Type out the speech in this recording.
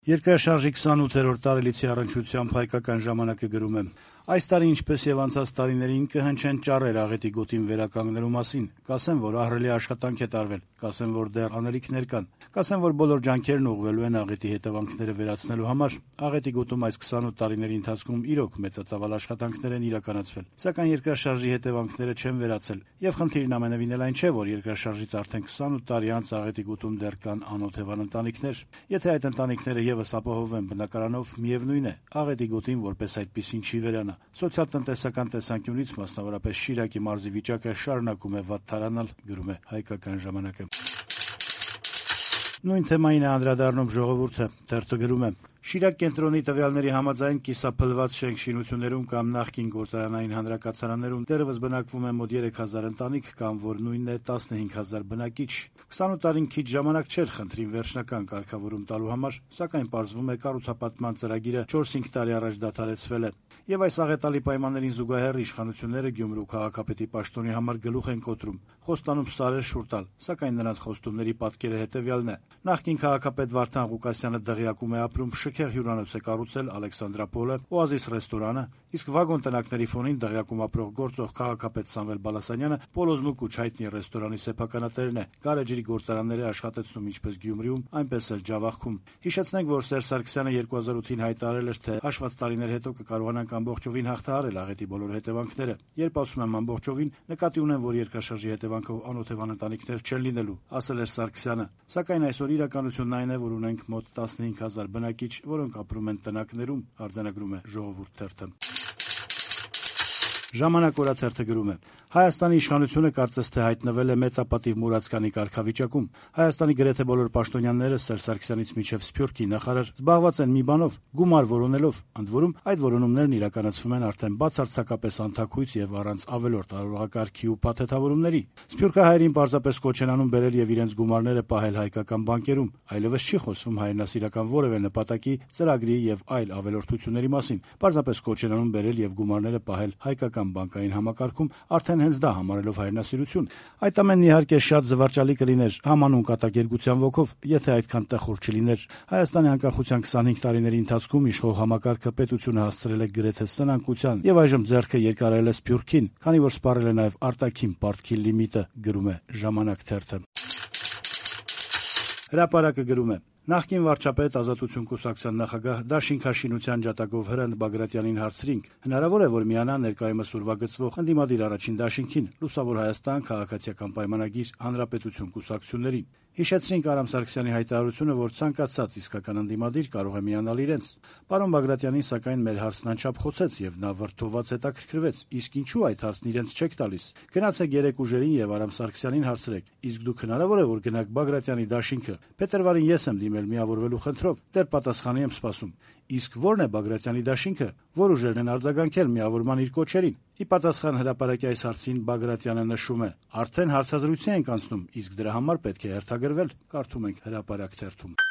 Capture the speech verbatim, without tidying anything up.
Երկրաշարժի քսանութերորդ տարելիցի առնչությամբ «Հայկական ժամանակ»-ը գրում է. «Այս տարի, ինչպես եւ անցած տարիներին, կհնչեն ճառեր աղետի գոտին վերականգնելու մասին, կասեն, որ ահռելի աշխատանք է տարվել, կասեն, որ դեռ անելիքներ կան, կասեն, որ բոլոր ջանքերն ուղղվելու են աղետի հետևանքները վերացնելու համար։ Աղետի գոտում այս քսանութ տարիների ընթացքում իրոք մեծածավալ աշխատանքներ են իրականացվել, սակայն երկրաշարժի հետևանքները չեն վերացել, եւ խնդիրն ամենեւին էլ այն չէ, որ երկրաշարժից արդեն քսանութ տարի անց աղետի գոտում դեռ կան անօթևան ընտանիքներ։ Եթե այդ ընտանիքները եւս ապահովեն բնակարանով, միևնույն է, աղետի գոտին որպես այդպիսին չի վերանա։ Սոցիալ-տնտեսական տեսանկյունից, մասնավորապես Շիրակի մարզի վիճակը շարունակում է վատթարանալ», գրում է «Հայկական ժամանակ»-ը։ Նույն թեմային է անդրադառնում «Ժողովուրդ»-ը, թերթը գրում է. «Շիրակ կենտրոնի տվյալների համաձայն կիսափլված շենք-շինություններում կամ նախկին գործարանային հանրակացարաններում դեռևս բնակվում է մոտ երեք հազար ընտանիք, կամ որ նույնն է տասնհինգ հազար բնակիչ։ քսանութ տարին քիչ ժամանակ չէր խնդրին վերջնական կարգավորում տալու համար, սակայն պարզվում է կառուցապատման ծրագիրը չորս-հինգ տարի առաջ դադարեցվել է։ Եվ այս աղետալի պայմաններին զուգահեռ իշխանությունները Գյումրու քաղաքապետի պաշտոնի համար գլուխ են կոտրում, խոստանում սարեր շուռ տալ, սակայն նրանց խոստումների պատկերը հետևյալն է. նախկին քաղաքապետ Վարդան Ղուկասյանը դղյակում է ապրում, շքեղ հյուրանոց է կառուցել Ալեքսանդրապոլը, Օազիս ռեստորանը, իսկ վագոն տնակների ֆոնին դղյակում ապրող գործող քաղաքապետ Սամվել Բալասանյանը Պոլոզմուկ ու Չայտնի ռեստորանի սեփականատերն է, գարեջրի գործարաններ է աշխատեցնում ինչպես Գյումրիում, այնպես էլ Ջավախքում։ Հիշեցնենք, որ Սերժ Սարգսյանը երկու հազար ութին հայտարարել էր, թե հաշված տարիներ հետո կկարողանանք ամբողջովին հաղթահարել աղետի բոլոր հետևանքները։ Երբ ասում եմ ամբողջովին, նկատի ունեմ, որ երկրաշարժի հետևանքով անօթևան ընտանիքներ չեն լինելու, ասել էր Սարգսյանը։ Սակայն այսօր իրականությունն այն է, որ ունենք մոտ տասնհինգ հազար բնակիչ, որոնք ապրում են տնակներում, արձանագրում է «Ժողովուրդ» թերթը։ «Ժամանակ» օրաթերթը գրում է. «Հայաստանի իշխանությունը կարծես թե հայտնվել է մեծապատիվ մուրացկանի կարգավիճակում։ Հայաստանի գրեթե բոլոր պաշտոնյաները Սերժ Սարգսյանից մինչև Սփյուռքի նախարար զբաղված են մի բանով՝ գումար որոնելով, ընդ որում այդ որոնումներն իրականացվում են արդեն բացարձակապես անթաքույց եւ առանց ավելորդ արարողակարգի ու փաթեթավորումների։ Սփյուռքահայերին պարզապես կոչ են անում բերել եւ իրենց գումարները պահել հայկական բանկերում, այլևս չի խոսվում հայրենասիրական որևէ նպատակի, ծրագրի եւ այլ ավելորդությունների մասին։ Պարզապես կոչ են անում բերել եւ գումարները պահել հայկական բանկային համակարգում, արդեն հենց դա համարելով հայրենասիրություն։ Այդ ամենն իհարկե շատ զվարճալի կլիներ համանուն կատակերգության ոգով, եթե այդքան տխուր չլիներ։ Հայաստանի անկախության քսանհինգ տարիների ընթացքում իշխող համակարգը պետությունը հասցրել է գրեթե սնանկության եւ այժմ ձեռքը երկարել է Սփյուռքին, քանի որ սպառել է նաեւ արտաքին պարտքի լիմիտը», գրում է «Ժամանակ» թերթը։ Հրապարակը գրում է. «Նախկին վարչապետ, Ազատություն կուսակցության նախագահ դաշինքաշինության ջատագով Հրընտ Բագրատյանին հարցրինք. հնարավոր է, որ միանա ներկայումս ուրվագծվող ընդդիմադիր առաջին դաշինքին, Լուսավոր Հայաստան քաղաքացիական պայմանագիր Հանրապետություն կուսակցություններին։ Հիշեցրինք Արամ Սարգսյանի հայտարարությունը, որ ցանկացած իսկական ընդդիմադիր կարող է միանալ իրենց։ Պարոն Բագրատյանին, սակայն, մեր հարցն անչափ խոցեց եւ նա վրդովված հետաքրքրվեց. իսկ ինչու այդ հարցն իրենց չեք տալիս։ Գնացեք երեք ուժերին եւ Արամ Սարգսյանին հարցրեք. իսկ դուք հնարավոր է, որ գնաք Բագրատյանի դաշինքը։ Փետրվարին ես եմ դիմել միավորվելու խնդրով, դեռ պատասխանի եմ սպասում։ Իսկ ո՞րն է Բագրատյանի դաշինքը, որ ուժերն են արձագանքել միավորման իր կոչերին։ Ի պատասխան հրապարակի այս հարցին Բագրատյանը նշում է. արդեն հարցազրույցի ենք անցնում, իսկ դրա համար պետք է հերթագրվել», կարդում ենք Հրապարակ թերթում։